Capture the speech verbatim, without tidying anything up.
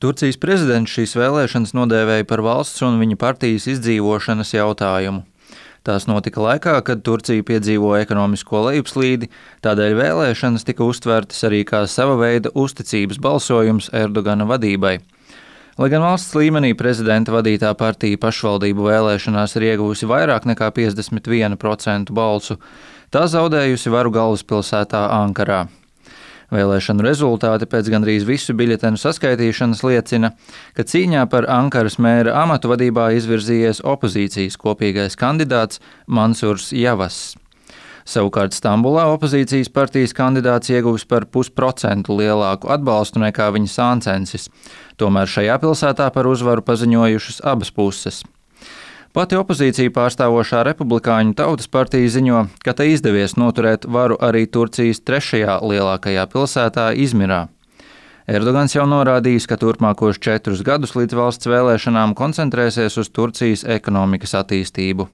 Turcijas prezidents šīs vēlēšanas nodēvēja par valsts un viņa partijas izdzīvošanas jautājumu. Tās notika laikā, kad Turcija piedzīvoja ekonomisko lejupslīdi, tādēļ vēlēšanas tika uztvertas arī kā sava veida uzticības balsojums Erdogana vadībai. Lai gan valsts līmenī prezidenta vadītā partija pašvaldību vēlēšanās ir ieguvusi vairāk nekā piecdesmit vienu procentu balsu, tā zaudējusi varu galvaspilsētā Ankarā. Vēlēšanu rezultāti pēc gandrīz visu biļetenu saskaitīšanas liecina, ka cīņā par Ankaras mēra amatu vadībā izvirzījies opozīcijas kopīgais kandidāts Mansurs Yavass. Savukārt Stambulā opozīcijas partijas kandidāts ieguvis par pusprocentu lielāku atbalstu nekā viņa sāncensis, tomēr šajā pilsētā par uzvaru paziņojušas abas puses. Pati opozīcija pārstāvošā Republikāņu tautas partija ziņo, ka tai izdevies noturēt varu arī Turcijas trešajā lielākajā pilsētā Izmirā. Erdogans jau norādījis, ka turpmākos četrus gadus līdz valsts vēlēšanām koncentrēsies uz Turcijas ekonomikas attīstību.